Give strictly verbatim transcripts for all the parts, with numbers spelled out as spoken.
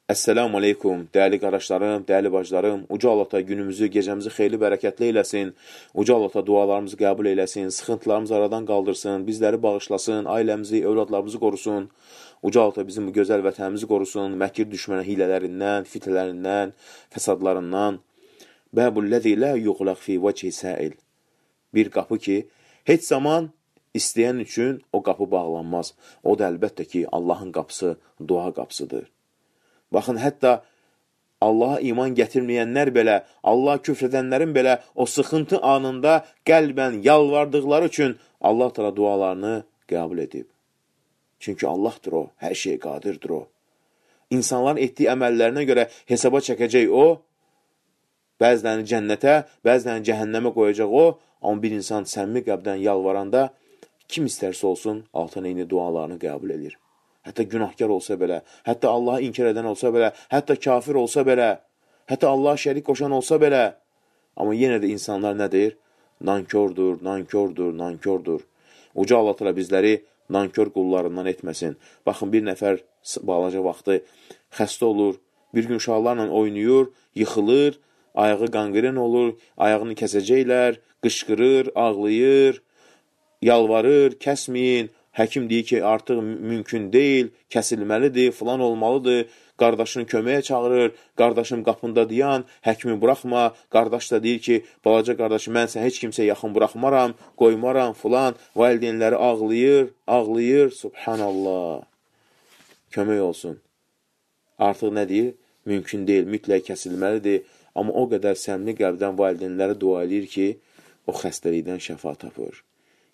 Əssəlamu aleykum, dəyərli qardaşlarım, dəyərli bacılarım. Uca Allah günümüzü, gecəmizi xeyirli, bərəkətli eyləsin. Uca Allah dualarımızı qəbul eyləsin, sıxıntılarımızı aradan qaldırsın, bizləri bağışlasın, ailəmizi, övladlarımızı qorusun. Uca Allah bizim bu gözəl vətənimizi qorusun, məkir düşmənə hilələrindən, fitələrindən, fəsadlarından. Bəbul-ləzi lə yuğlaq fi vəchi səil. Bir qapı ki, heç zaman istəyən üçün o qapı bağlanmaz. O da əlbəttə ki, Allahın qapısı, dua qapısıdır. Baxın, hətta Allaha iman gətirməyənlər belə, Allaha küfr edənlərin belə o sıxıntı anında qəlbən yalvardıqları üçün Allah təala dualarını qəbul edib. Çünki Allahdır o, hər şeyə qadirdir o. İnsanların etdiyi əməllərinə görə hesaba çəkəcək o, bəzilərini cənnətə, bəzilərini cəhənnəmə qoyacaq o, amma bir insan səmimi qəlbdən yalvaranda kim istərsə olsun, altına eyni dualarını qəbul edir. Hətta günahkar olsa belə, hətta Allahı inkar edən olsa belə, hətta kafir olsa belə, hətta Allaha şərik qoşan olsa belə. Amma yenə də insanlar nədir? Nankordur, nankordur, nankordur. Uca Allah təala bizləri nankor qullarından etməsin. Baxın, bir nəfər balaca vaxtı xəstə olur, bir gün uşaqlarla oynayır, yıxılır, ayağı qanqren olur, ayağını kəsəcəklər, qışqırır, ağlayır, yalvarır, kəsməyin. Həkim deyir ki, artıq mümkün deyil, kəsilməlidir, filan olmalıdır. Qardaşını köməyə çağırır, qardaşım qapında dayan, həkimi buraxma. Qardaş da deyir ki, balaca qardaşım, mən sən heç kimsə yaxın buraxmaram, qoymaram, filan. Valideynləri ağlayır, ağlayır, subhanallah. Kömək olsun. Artıq nə deyir? Mümkün deyil, mütləq kəsilməlidir. Amma o qədər səmimi qəlbdən valideynləri dua edir ki, o xəstəlikdən şəfa tapır.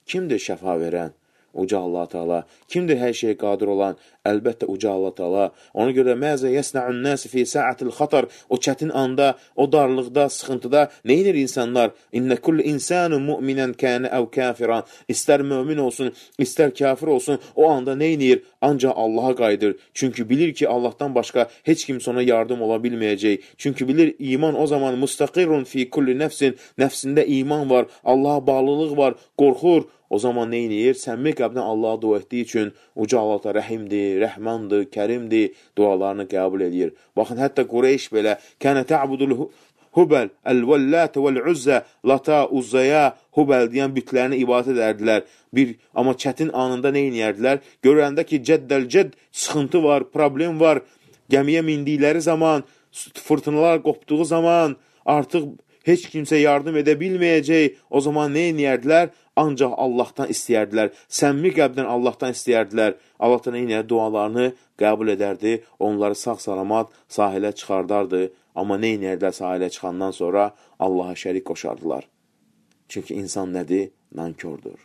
Kimdir şəfa verən? Uca Allah Teala. Kimdir hər şeyə qadir olan? Əlbəttə Uca Allah Teala. Ona görə məzə yəsna'un nəsi fi sa'atil xatar. O çətin anda, o darlıqda, sıxıntıda nə edir insanlar? İnnə kulli insanun mu'minən kənə əv kafiran. İstər mömin olsun, istər kafir olsun, o anda nə edir? Ancaq Allaha qayıdır. Çünki bilir ki, Allahdan başqa heç kimsə ona yardım ola bilməyəcək. Çünki bilir, iman o zaman mustaqirun fi kulli nəfsin. Nəfsində iman var, Allaha bağlılıq var, qorxur. O zaman nə edir? Səmimi qəlbdən Allaha dua etdiyi üçün Uca Allah da rəhimdir, rəhmandır, kərimdir, dualarını qəbul edir. Baxın, hətta Qureyş belə kənə tə'budul Hubel, əl-vəllət vəl-uzzə, lata, uzzaya, Hubel deyən bütlərini ibadət edərdilər. Bir, amma çətin anında nə edərdilər? Görəndə ki, cəddəl-cədd sıxıntı var, problem var, gəmiyə mindikləri zaman, fırtınalar qopduğu zaman, artıq heç kimsə yardım edə bilməyəcək, o zaman nə edərdilər? Ancaq Allahdan istəyərdilər, səmimi qəlbdən Allahdan istəyərdilər. Allahdan eyni dualarını qəbul edərdi, onları sağ-salamat sahilə çıxardardı. Amma nə edərdilər sahilə çıxandan sonra? Allaha şərik qoşardılar. Çünki insan nədir? Nankordur.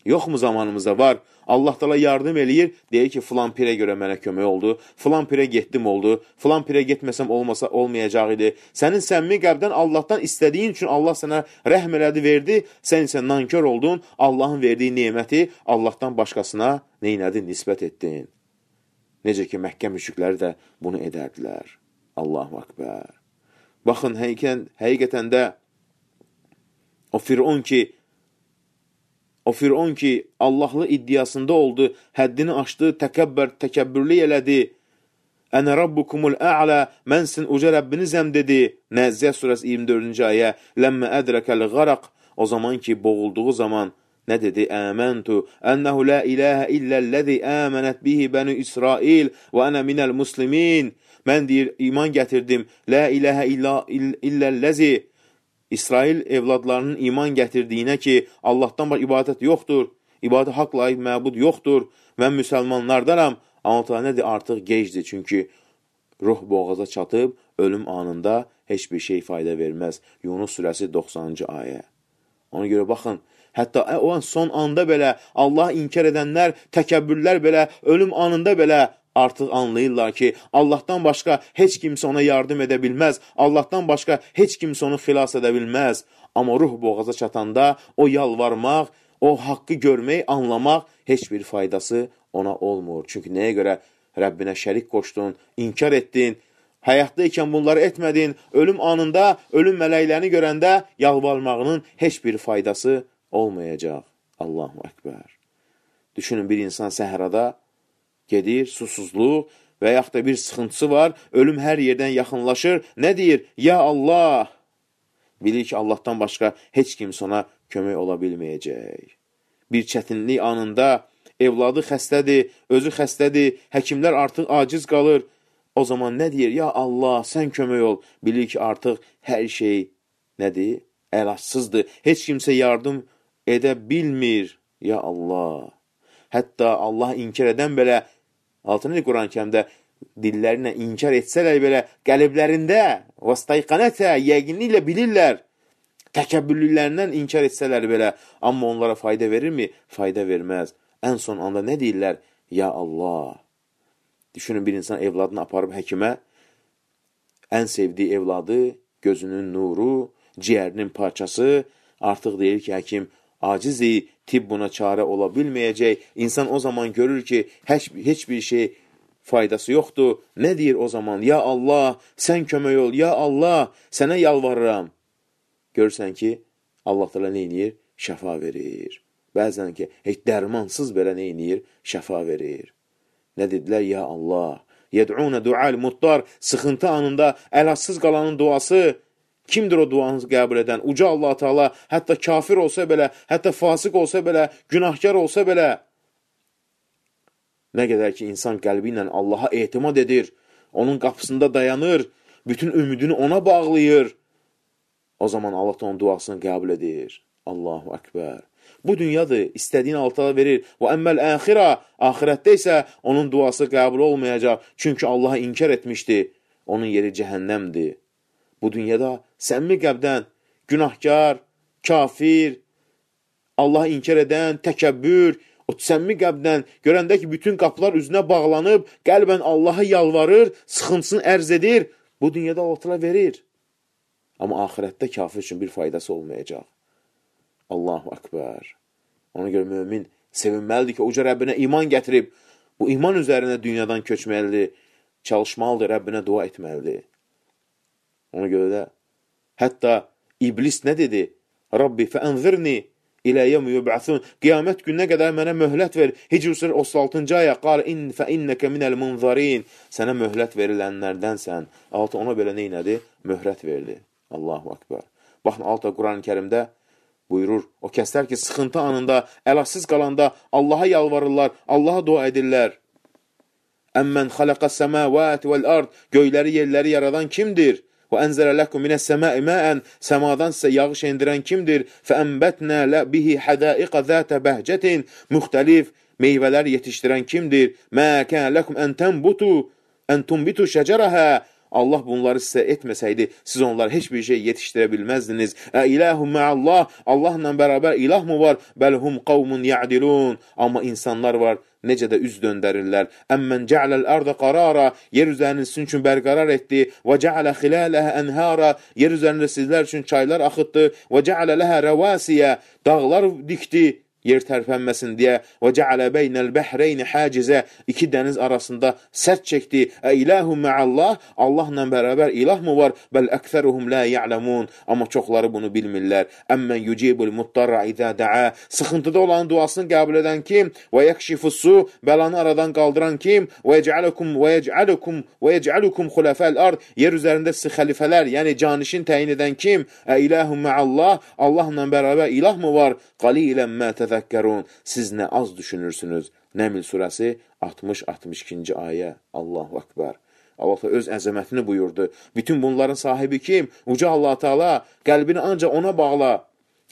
Yoxmu zamanımızda var? Allah Teala yardım eləyir, deyir ki, filan pirə görə mənə kömək oldu, filan pirə getdim oldu, filan pirə getməsəm olmasa olmayacaq idi. Sənin səmimi qəlbdən Allahdan istədiyin üçün Allah sənə rəhm elədi, verdi, sən isə nankör oldun, Allahın verdiyi neməti Allahdan başqasına neynədi, nisbət etdin. Necə ki, Məkkə müşrikləri də bunu edərdilər. Allahu Akbar. Baxın, həqiqətən, həqiqətən də o Firon ki, O Firon ki, Allahlı iddiasında oldu, həddini aşdı, təkəbbər, təkəbbürlü elədi. Ənə rabbukumul ə'lə, mənsin uca Rəbbinizəm dedi. Nəzziyə surəsi iyirmi dördüncü ayə, ləmmə ədrəkəl qaraq. O zaman ki, boğulduğu zaman nə dedi? Əməntu, ənəhu lə iləhə illəlləzi əmənət bihi bəni İsrail və ənə minəl muslimin. Mən deyir, iman gətirdim, lə iləhə illəlləzi. İsrail evladlarının iman gətirdiyinə ki, Allahdan bax ibadət yoxdur, ibadət haqq layiq məbud yoxdur, mən müsəlmanlardanam, amma nədir? Artıq gecdir, çünki ruh boğaza çatıb, ölüm anında heç bir şey fayda verməz. Yunus surəsi doxsanıncı ayə. Ona görə baxın, hətta o an son anda belə, Allah inkar edənlər, təkəbbürlər belə, ölüm anında belə, artıq anlayırlar ki, Allahdan başqa heç kimsə ona yardım edə bilməz, Allahdan başqa heç kimsə onu xilas edə bilməz. Amma ruh boğaza çatanda o yalvarmaq, o haqqı görmək, anlamaq heç bir faydası ona olmur. Çünki nəyə görə Rəbbinə şərik qoşdun, inkar etdin, həyatdaykən bunları etmədin, ölüm anında, ölüm mələklərini görəndə yalvarmağının heç bir faydası olmayacaq. Allahu Ekber. Düşünün, bir insan səhrada gedir, susuzluq, və yaxud da bir sıxıntısı var, ölüm hər yerdən yaxınlaşır. Nə deyir? Ya Allah! Bilir ki, Allahdan başqa heç kimsə ona kömək ola bilməyəcək. Bir çətinlik anında evladı xəstədir, özü xəstədir, həkimlər artıq aciz qalır. O zaman nə deyir? Ya Allah, sən kömək ol. Bilir ki, artıq hər şey nədir? Əlacsızdır. Heç kimsə yardım edə bilmir. Ya Allah! Hətta Allah inkar edən belə, altını Quran-ı Kərimdə dillərinə inkar etsələr belə, qəlblərində vastayqanətə, yəqinliklə bilirlər. Təkəbbürlüklərindən inkar etsələr belə, amma onlara fayda verirmi? Fayda verməz. Ən son anda nə deyirlər? Ya Allah! Düşünün, bir insan evladını aparıb həkimə, ən sevdiyi evladı, gözünün nuru, ciyərinin parçası, artıq deyir ki, həkim acizi, tibb buna çarə ola bilməyəcək. İnsan o zaman görür ki, heç, heç bir şey faydası yoxdur. Nə deyir o zaman? Ya Allah, sən kömək ol, ya Allah, sənə yalvarıram. Görürsən ki, Allah təala nə edir? Şəfa verir. Bəzən ki, heç dərmansız belə nə edir? Şəfa verir. Nə dedilər? Ya Allah. Yed'unə dual muttar. Sıxıntı anında əlacsız qalanın duası. Kimdir o duanızı qəbul edən? Uca Allah Teala hətta kafir olsa belə, hətta fasıq olsa belə, günahkar olsa belə. Nə qədər ki, insan qəlbi ilə Allaha etimad edir, onun qapısında dayanır, bütün ümidini ona bağlayır. O zaman Allah onun duasını qəbul edir. Allahu Ekber. Bu dünyadır, istədiyini Allah verir. Və əmməl əxirə, axirətdə isə onun duası qəbul olmayacaq. Çünki Allah'a inkar etmişdi. Onun yeri cəhənnəmdir. Bu dünyada səmimi qəbdən, günahkar, kafir, Allah'a inkar edən, təkəbbür, o səmimi qəbdən görəndə ki, bütün qapılar üzünə bağlanıb, qəlbən Allah'a yalvarır, sıxıntısını ərz edir. Bu dünyada Allah verir. Amma axirətdə kafir üçün bir faydası olmayacaq. Allahu Ekber. Ona görə mümin sevinməlidir ki, uca Rəbbinə iman gətirib, bu iman üzərində dünyadan köçməlidir, çalışmalıdır, Rəbbinə dua etməlidir. Ona görə də hətta iblis nə dedi? Rabbi fəənzirni ilə yevmi yub'asun. Qiyamət gününə qədər mənə möhlət ver. Hicr surəsi otuz altıncı ayə qal in fa innaka minel munzarin. Sənə möhlət verilənlərdənsən. Altı ona belə nə etdi? Möhlət verdi. Allahu Ekber. Baxın, altı Quran-ı Kərimdə buyurur, o kəslər ki, sıxıntı anında, əlacsız qalanda Allaha yalvarırlar, Allaha dua edirlər. Əmmən xaləqəs səməvət vəl-ard. Göyləri, yerləri yaradan kimdir? Və ənzələ ləkum minəs səməi məən. Səmadan sizə yağış endirən kimdir? Fəənbətnə bihi hədaiqə zətə bəhcətin. Müxtəlif meyvələr yetişdirən kimdir? Mə kən ləkum ən tənbutu, ən tumbitu şəcərəhə. Allah bunları sizə etməsəydi, siz onları heç bir şey yetişdirə bilməzdiniz. Ə iləhum məallah. Allahla bərabər ilah mı var? Bəlhum qavmun ya'dilun. Amma insanlar var, necə də üz döndərirlər. Əmmən ca'ləl arda qarara. Yer üzərini sizin üçün bərqərar etdi. Və ca'lə xilələhə ənhara. Yer üzərində sizlər üçün çaylar axıtdı. Və ca'lə ləhə rəvasiyə. Dağlar dikdi, yer tərpənməsin deyə. Və cəalə beynəl bəhreyni hacizə. İki dəniz arasında sərt çəkdi. Ə iləhum məallah. Allahla bərabər ilah mı var? Bəl əksəruhum la ya'lamun. Amma çoxları bunu bilmirlər. Əmmən yucibul muttarra izə da'a. Sıxıntıda olan duasını qəbul edən kim? Və yəkşifussu. Bəlanı aradan qaldıran kim? Və yec'alukum və yec'alukum və yec'alukum xulafəl ard. Yer üzərində sizi xəlifələr, yəni canişin təyin edən kim? Ə iləhum məallah. Allahla bərabər ilah mı var? Qalilən mə təzəkkərun. Siz nə az düşünürsünüz. Nəml surəsi altmış altmış ikinci ayə. Allahu Ekber. Allah öz əzəmətini buyurdu. Bütün bunların sahibi kim? Uca Allah Teala. Qəlbini ancaq ona bağla.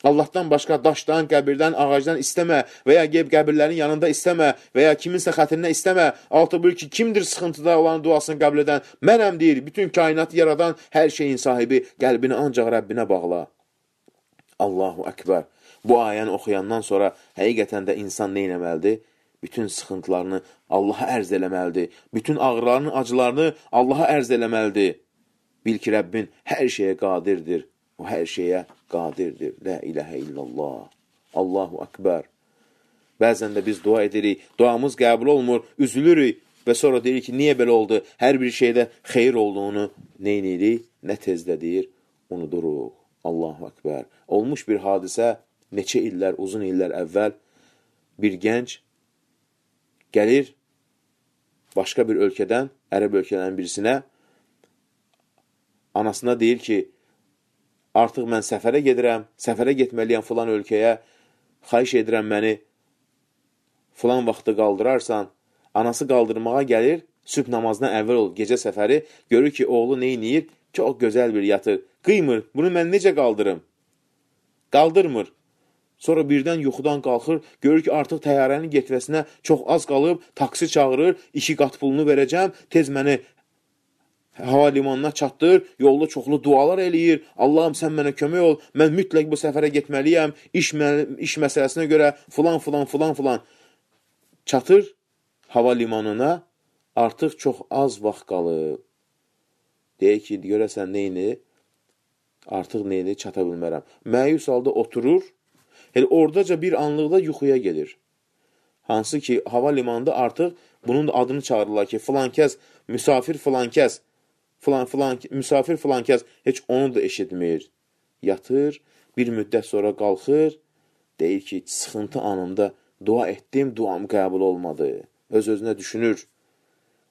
Allahdan başqa daşdan, qəbirdən, ağacdan istəmə və ya qeyb qəbirlərin yanında istəmə və ya kiminsə xətrinə istəmə. Altı buyur ki, kimdir sıxıntıda olan duasını qəbul edən? Mənəm deyir, bütün kainatı yaradan hər şeyin sahibi. Qəlbini ancaq Rəbbinə bağla. Allahu Ekber. Bu ayəni oxuyandan sonra həqiqətən də insan nə etməlidir? Bütün sıxıntılarını Allaha ərz eləməlidir. Bütün ağrılarını, acılarını Allaha ərz eləməlidir. Bil ki, Rəbbin hər şeyə qadirdir. O hər şeyə qadirdir. La iləhə illallah. Allahu Ekber. Bəzən də biz dua edirik, duamız qəbul olmur, üzülürük və sonra deyirik ki, niyə belə oldu? Hər bir şeydə xeyir olduğunu nə edirik? Nə tezdə deyir? Unuduruq. Allahu Ekber. Olmuş bir hadisə, neçə illər, uzun illər əvvəl bir gənc gəlir başqa bir ölkədən, ərəb ölkələrin birisinə anasına deyir ki, artıq mən səfərə gedirəm, səfərə getməliyəm filan ölkəyə, xahiş edirəm məni filan vaxtı qaldırarsan. Anası qaldırmağa gəlir, sübh namazından əvvəl olur, gecə səfəri, görür ki, oğlu neyniyir? Çox gözəl bir yatır. Qıymır, bunu mən necə qaldırım? Qaldırmır. Sonra birdən yuxudan qalxır, görür ki, artıq təyyarənin getməsinə çox az qalıb, taksi çağırır, iki qat pulunu verəcəm, tez məni hava limanına çatdır, yolda çoxlu dualar eləyir, Allahım sən mənə kömək ol, mən mütləq bu səfərə getməliyəm, iş, iş məsələsinə görə filan, filan, filan, filan. Çatır hava limanına, artıq çox az vaxt qalıb. Deyək ki, görəsən neyini, artıq neyini çata bilmərəm. Məyus halda oturur, elə oradaca bir anlıqda yuxuya gedir. Hansı ki, hava limanında artıq bunun adını çağırırlar ki, filan kəs, müsafir filan kəs, filan, filan, müsafir filan kəs, heç onu da eşitmir. Yatır, bir müddət sonra qalxır, deyir ki, sıxıntı anımda dua etdim, duam qəbul olmadı. Öz-özünə düşünür.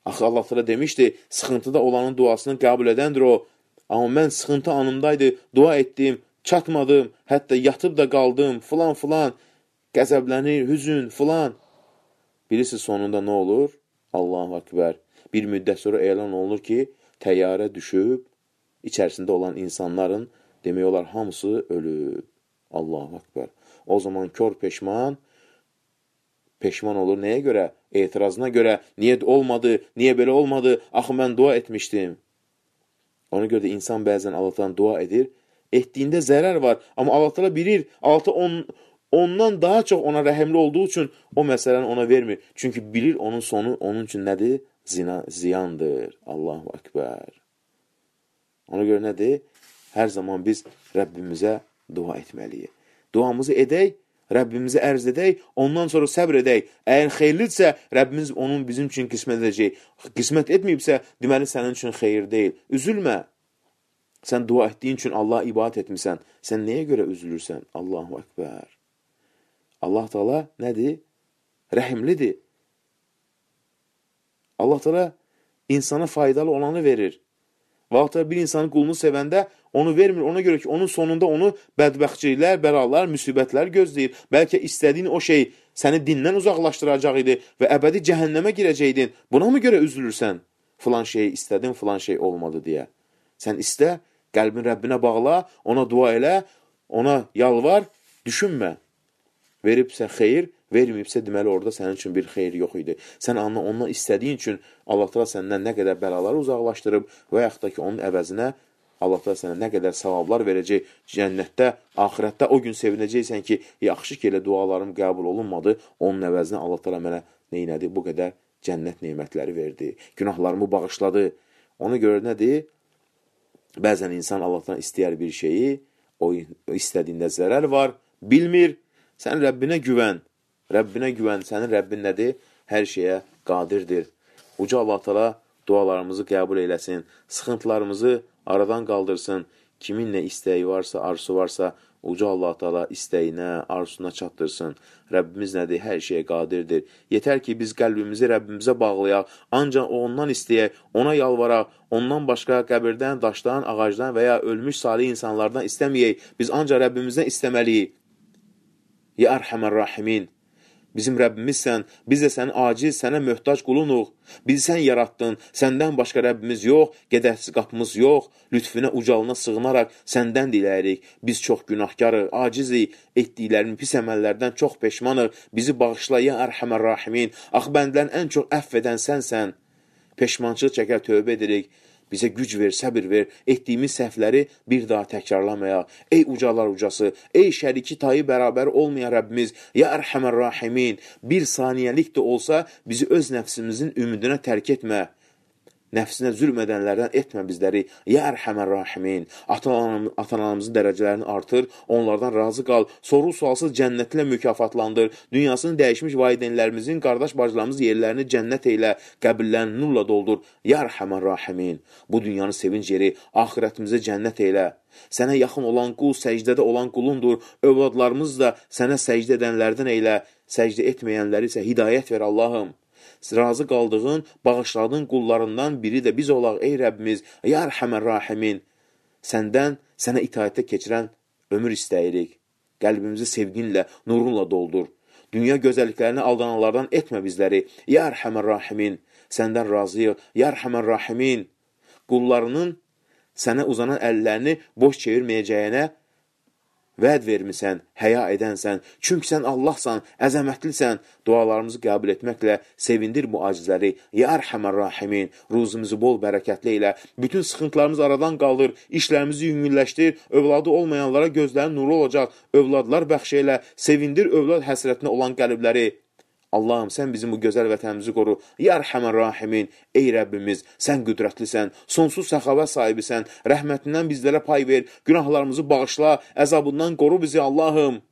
Axı Allah təala demişdi, sıxıntıda olanın duasını qəbul edəndir o. Amma mən sıxıntı anımdaydı, dua etdim, çatmadım, hətta yatıb da qaldım, filan filan, qəzəblənir, hüzün, filan. Birisi sonunda nə olur? Allahu Ekber. Bir müddət sonra elan olunur ki, təyyarə düşüb, içərisində olan insanların demək olar hamısı ölüb. Allahu Ekber. O zaman kör peşman, peşman olur. Nəyə görə? Etirazına görə. Niyə olmadı? Niyə belə olmadı? Axı mən dua etmişdim. Ona görə də insan bəzən Allahdan dua edir. Etdiyində zərər var. Amma Allah təala bilir, Allah on, ondan daha çox ona rəhimli olduğu üçün o məsələni ona vermir. Çünki bilir onun sonu onun üçün nədir? Zina, ziyandır. Allahu Ekber. Ona görə nədir? Hər zaman biz Rəbbimizə dua etməliyik. Duamızı edək, Rəbbimizi ərz edək, ondan sonra səbr edək. Əgər xeyirlidirsə, Rəbbimiz onun bizim üçün qismət edəcək. Qismət etməyibsə, deməli sənin üçün xeyir deyil. Üzülmə. Sən dua etdiyin üçün Allah ibadət etmirsən. Sən nəyə görə üzülürsən? Allahu Ekber. Allah Teala nədir? Rəhimlidir. Allah Teala insana faydalı olanı verir. Vaxtlar bir insanın qulunu sevəndə onu vermir. Ona görə ki, onun sonunda onu bədbəxtçiliklər, bəlalar, müsibətlər gözləyir. Bəlkə istədiyin o şey səni dindən uzaqlaşdıracaq idi və əbədi cəhənnəmə girəcəydin. Buna mı görə üzülürsən? Filan şeyi istədin, filan şey olmadı deyə. Sən istə, qəlbin Rəbbinə bağla, ona dua elə, ona yalvar, düşünmə. Veribsə xeyir, verməyibsə deməli orada sənin üçün bir xeyir yox idi. Sən ondan istədiyin üçün Allah təala səndən nə qədər bəlaları uzaqlaşdırıb və yaxud da ki, onun əvəzinə Allah təala sənə nə qədər savablar verəcək cənnətdə, axirətdə o gün sevinəcəksən ki, yaxşı ki, elə dualarım qəbul olunmadı, onun əvəzinə Allah təala mənə neynədi? Bu qədər cənnət nemətləri verdi, günahlarımı bağışladı. Ona görə nədir? Bəzən insan Allahdan istəyər bir şeyi, o istədiyində zərər var, bilmir. Sən Rəbbinə güvən, Rəbbinə güvən, sənin Rəbbin nədir? Hər şeyə qadirdir. Uca Allah Teala dualarımızı qəbul eləsin, sıxıntılarımızı aradan qaldırsın. Kimin nə istəyi varsa, arzusu varsa, Uca Allah Teala istəyinə, arzusuna çatdırsın. Rəbbimiz nədir? Hər şeyə qadirdir. Yetər ki, biz qəlbimizi Rəbbimizə bağlayaq, ancaq ondan istəyək, ona yalvaraq, ondan başqa qəbirdən, daşdan, ağacdan və ya ölmüş salih insanlardan istəməyək. Biz ancaq Rəbbimizdən istəməliyik. Ya Ərhəmər Rahimin, bizim Rəbbimizsən, biz də sənin aciz, sənə möhtac qulunuq. Bizi sən yarattın, səndən başqa Rəbbimiz yox, qədərsiz qapımız yox. Lütfüne ucalına sığınaraq səndən diləyirik. Biz çox günahkarıq, acizik, etdiklərinin pis əməllərdən çox peşmanıq. Bizi bağışla, ya Ərhəmər Rahimin. Ax, bəndlərin ən çox əff edən sənsən. Peşmançılıq çəkər, tövbə edirik. Bizə güc ver, səbir ver, etdiyimiz səhvləri bir daha təkrarlamayaq. Ey ucalar ucası, ey şəriki tayı bərabər olmayan Rəbbimiz, ya Ərhəmər Rahimin, bir saniyəlik də olsa bizi öz nəfsimizin ümidinə tərk etmə. Nəfsinə zülm edənlərdən etmə bizləri, ya Ərhəmər Rahimin. Ata-anamızın dərəcələrini artır, onlardan razı qal, soru sualsız cənnətlə mükafatlandır, dünyasını dəyişmiş valideynlərimizin, qardaş bacılarımız yerlərini cənnət eylə, qəbirlərini nurla doldur, ya Ərhəmər Rahimin. Bu dünyanın sevinc yeri, axirətimizi cənnət eylə. Sənə yaxın olan qul, səcdədə olan qulundur, övladlarımız da sənə səcdə edənlərdən eylə, səcdə etməyənləri isə hidayət ver Allahım. razı qaldığın, bağışladığın qullarından biri də biz olaq, ey Rəbbimiz, ya Ərhəmər Rahimin. Səndən, sənə itaətə keçirən ömür istəyirik. Qəlbimizi sevginlə, nurunla doldur. Dünya gözəlliklərini aldananlardan etmə bizləri. Ya Ərhəmər Rahimin. Səndən razıyıq. Ya Ərhəmər Rahimin. Qullarının sənə uzanan əllərini boş çevirməyəcəyinə vəd vermisən, həya edənsən. Çünki sən Allahsan, əzəmətlisən. Dualarımızı qəbul etməklə sevindir bu acizləri. Ya Ərhəmər Rahimin. Ruzumuzu bol bərəkətli ilə. Bütün sıxıntılarımızı aradan qaldır. İşlərimizi yüngülləşdir. Övladı olmayanlara gözlərin nuru olacaq. Övladlar bəxş elə. Sevindir övlad həsrətinə olan qəlbləri. Allahım, sən bizim bu gözəl vətənimizi qoru. Ya Ərhəmər Rahimin. Ey Rəbbimiz, sən qüdrətlisən, sonsuz səxavət sahibisən. Rəhmətindən bizlərə pay ver. Günahlarımızı bağışla. Əzabından qoru bizi Allahım.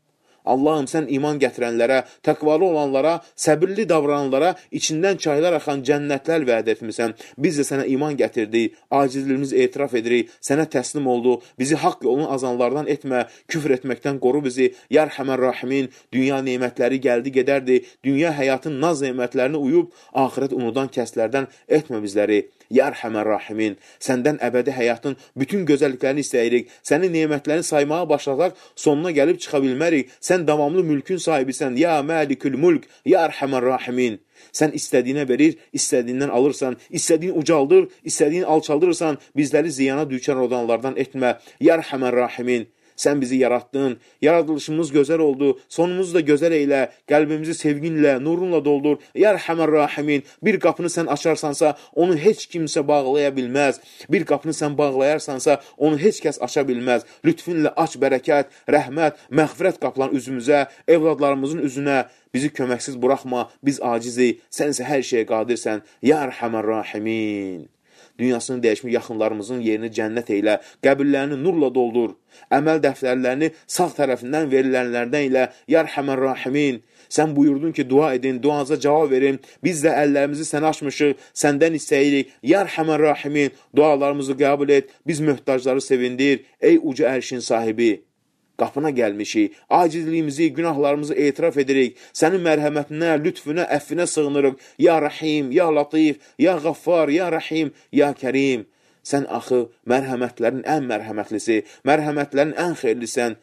Allahım, sən iman gətirənlərə, təqvalı olanlara, səbirli davrananlara içindən çaylar axan cənnətlər vəd etmisən. Biz də sənə iman gətirdik, acizliyimizi etiraf edirik, sənə təslim olduq. Bizi haqq yolun azanlardan etmə, küfr etməkdən qoru bizi. Ya Ərhəmər Rahimin. Dünya nemətləri gəldi gedərdi. Dünya həyatın naz nemətlərini uyub, axirət unudan kəslərdən etmə bizləri. Ya Ərhəmər Rahimin. Səndən əbədi həyatın bütün gözəlliklərini istəyirik. Sənin nemətlərini saymağa başlasaq, sonuna gəlib çıxa bilmərik. Sən davamlı mülkün sahibisən. Ya Məlikül Mülk. Ya Ərhəmər Rahimin. Sən istədiyinə verir, istədiyindən alırsan. İstədiyin ucaldır, istədiyin alçaldırırsan. Bizləri ziyana düçar olanlardan etmə. Ya Ərhəmər Rahimin. Sən bizi yaratdın, yaradılışımız gözəl oldu, sonumuzu da gözəl eylə, qəlbimizi sevginlə, nurunla doldur. Ya Ərhəmər Rahimin. Bir qapını sən açarsansa, onu heç kimsə bağlaya bilməz. Bir qapını sən bağlayarsansa, onu heç kəs aça bilməz. Lütfünlə aç bərəkət, rəhmət, məğfirət qapılan üzümüzə, evladlarımızın üzünə. Bizi köməksiz buraxma, biz acizi, sənsə hər şeyə qadirsən. Ya Ərhəmər Rahimin. Dünyasını dəyişmiş yaxınlarımızın yerini cənnət eylə, qəbirlərini nurla doldur. Əməl dəftərlərini sağ tərəfindən verilənlərdən ilə. Ya Ərhəmər Rahimin. Sən buyurdun ki, dua edin, duanıza cavab verin. Biz də əllərimizi sənə açmışıq, səndən istəyirik. Ya Ərhəmər Rahimin. Dualarımızı qəbul et, biz möhtacları sevindir. Ey uca ərşin sahibi. Qapına gəlmişik, acizliyimizi, günahlarımızı etiraf edirik. Sənin mərhəmətinə, lütfünə, əffinə sığınırıq. Ya Rahim, Ya Latif, Ya Qaffar, Ya Rahim, Ya Kərim. Sən axı mərhəmətlərin ən mərhəmətlisi, mərhəmətlərin ən xeyirlisən.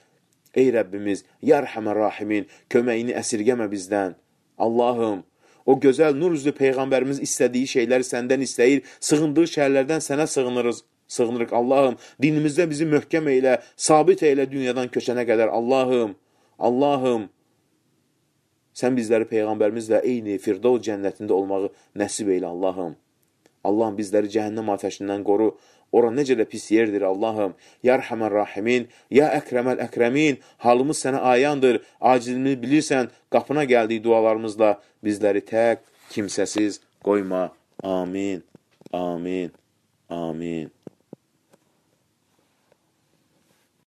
Ey Rəbbimiz, Ya Ərhəmər Rahimin, köməyini əsirgəmə bizdən. Allahım, o gözəl nur üzlü Peyğəmbərimiz istədiyi şeyləri səndən istəyir, sığındığı şəhərlərdən sənə sığınırız. Sığınırıq Allahım, dinimizdə bizi möhkəm eylə, sabit eylə dünyadan köçənə qədər. Allahım, Allahım, sən bizləri Peyğəmbərimizlə eyni Firdov cənnətində olmağı nəsib eylə Allahım. Allahım, bizləri cəhənnəm ateşindən qoru, ora necə də pis yerdir Allahım. Ya Ərhəmər Rahimin, Ya Əkrəməl Əkrəmin, halımız sənə ayandır, acizimizi bilirsən, qapına gəldiyi dualarımızla bizləri tək, kimsəsiz qoyma. Amin, amin, amin.